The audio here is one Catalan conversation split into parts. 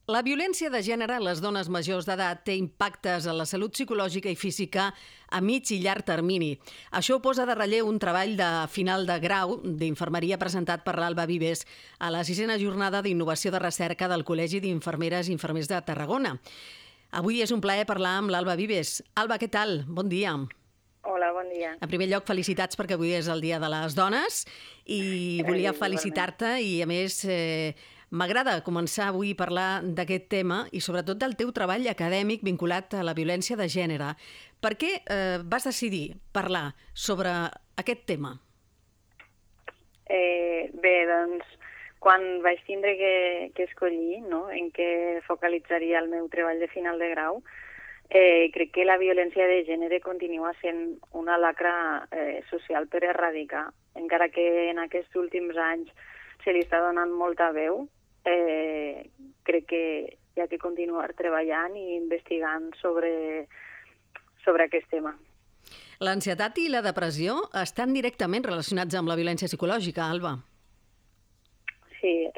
La violència de gènere a les dones majors d'edat té impactes en la salut psicològica i física a mig i llarg termini. Això ho posa de relleu un treball de final de grau d'infermeria presentat per l'Alba Vives a la 6a jornada d'innovació de recerca del Col·legi d'Infermeres i Infermers de Tarragona. Avui és un plaer parlar amb l'Alba Vives. Alba, què tal? Bon dia. Hola, bon dia. En primer lloc, felicitats perquè avui és el Dia de les Dones i volia felicitar-te i, a més, m'agrada començar avui a parlar d'aquest tema i sobretot del teu treball acadèmic vinculat a la violència de gènere. Per què vas decidir parlar sobre aquest tema? Bé, doncs, quan vaig tindre que escollir, no?, en què focalitzaria el meu treball de final de grau, crec que la violència de gènere continua sent una lacra social per erradicar. Encara que en aquests últims anys se li està donant molta veu, crec que hi ha que continuar treballant i investigant sobre aquest tema. L'ansietat i la depressió estan directament relacionats amb la violència psicològica, Alba. Sí,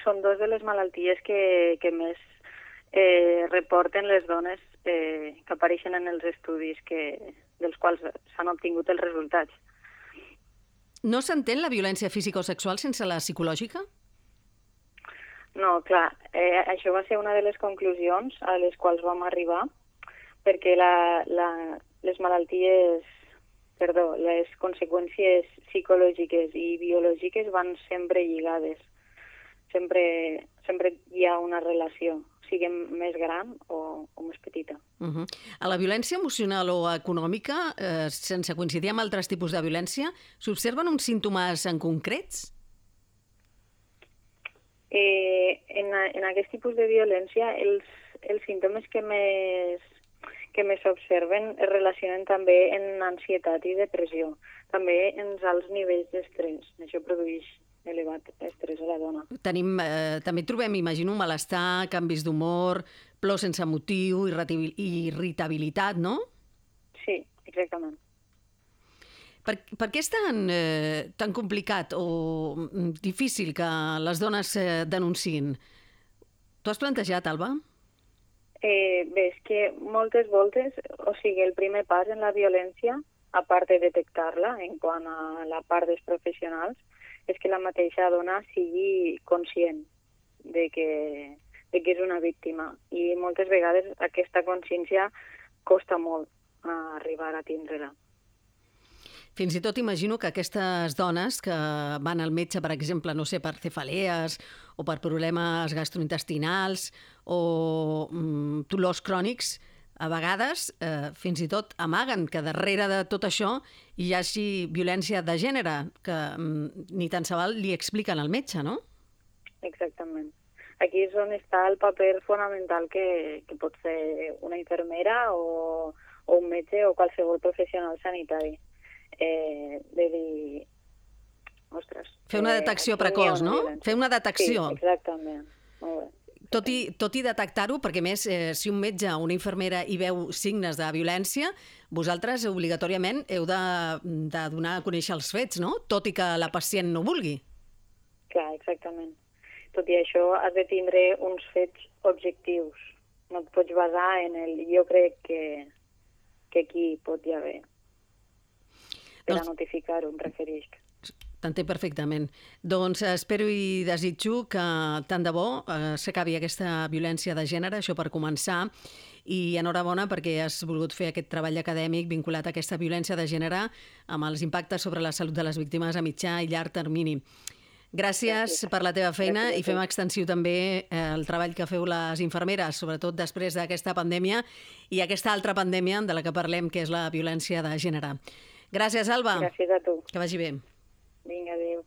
són dues de les malalties que més reporten les dones que apareixen en els estudis dels quals s'han obtingut els resultats. No s'entén la violència física o sexual sense la psicològica? No, clar, això va ser una de les conclusions a les quals vam arribar, perquè les conseqüències psicològiques i biològiques van sempre lligades. Sempre hi ha una relació, siguem més gran o més petita. A la violència emocional o econòmica, sense coincidir amb altres tipus de violència, s'observen uns símptomes en concrets? En aquest tipus de violència, els símptomes que més s'observen es relacionen també amb ansietat i depressió, també en els alts nivells d'estrès. Això produeix elevat estrès a la dona. També trobem, imagino, malestar, canvis d'humor, plor sense motiu, irritabilitat, no? Sí, exactament. Per què és tan complicat o difícil que les dones denunciïn? T'ho has plantejat, Alba? Bé, és que moltes voltes, el primer pas en la violència, a part de detectar-la en quant a la part dels professionals, és que la mateixa dona sigui conscient de que és una víctima. I moltes vegades aquesta consciència costa molt arribar a tindre-la. Fins i tot imagino que aquestes dones que van al metge, per exemple, no sé, per cefalees o per problemes gastrointestinals o dolors crònics, a vegades fins i tot amaguen que darrere de tot això hi hagi violència de gènere, que ni tan se val li expliquen al metge, no? Exactament. Aquí és on està el paper fonamental que pot fer una infermera o un metge o qualsevol professional sanitari. De dir, ostres... Fer una detecció precoç, no? Fer una detecció. Sí, exactament. Molt bé. Tot i detectar-ho, perquè més, si un metge o una infermera hi veu signes de violència, vosaltres obligatòriament heu de donar a conèixer els fets, no? Tot i que la pacient no vulgui. Clar, exactament. Tot i això has de tindre uns fets objectius. No et pots basar en el jo crec que aquí pot hi haver. Per a notificar-ho, em referisc. T'entenc perfectament. Doncs espero i desitjo que tant de bo s'acabi aquesta violència de gènere, això per començar, i enhorabona perquè has volgut fer aquest treball acadèmic vinculat a aquesta violència de gènere amb els impactes sobre la salut de les víctimes a mitjà i llarg termini. Gràcies per la teva feina i fem extensiu també el treball que feu les infermeres, sobretot després d'aquesta pandèmia i aquesta altra pandèmia de la que parlem, que és la violència de gènere. Gràcies, Alba. Gràcies a tu. Que vagi bé. Vinga, adéu.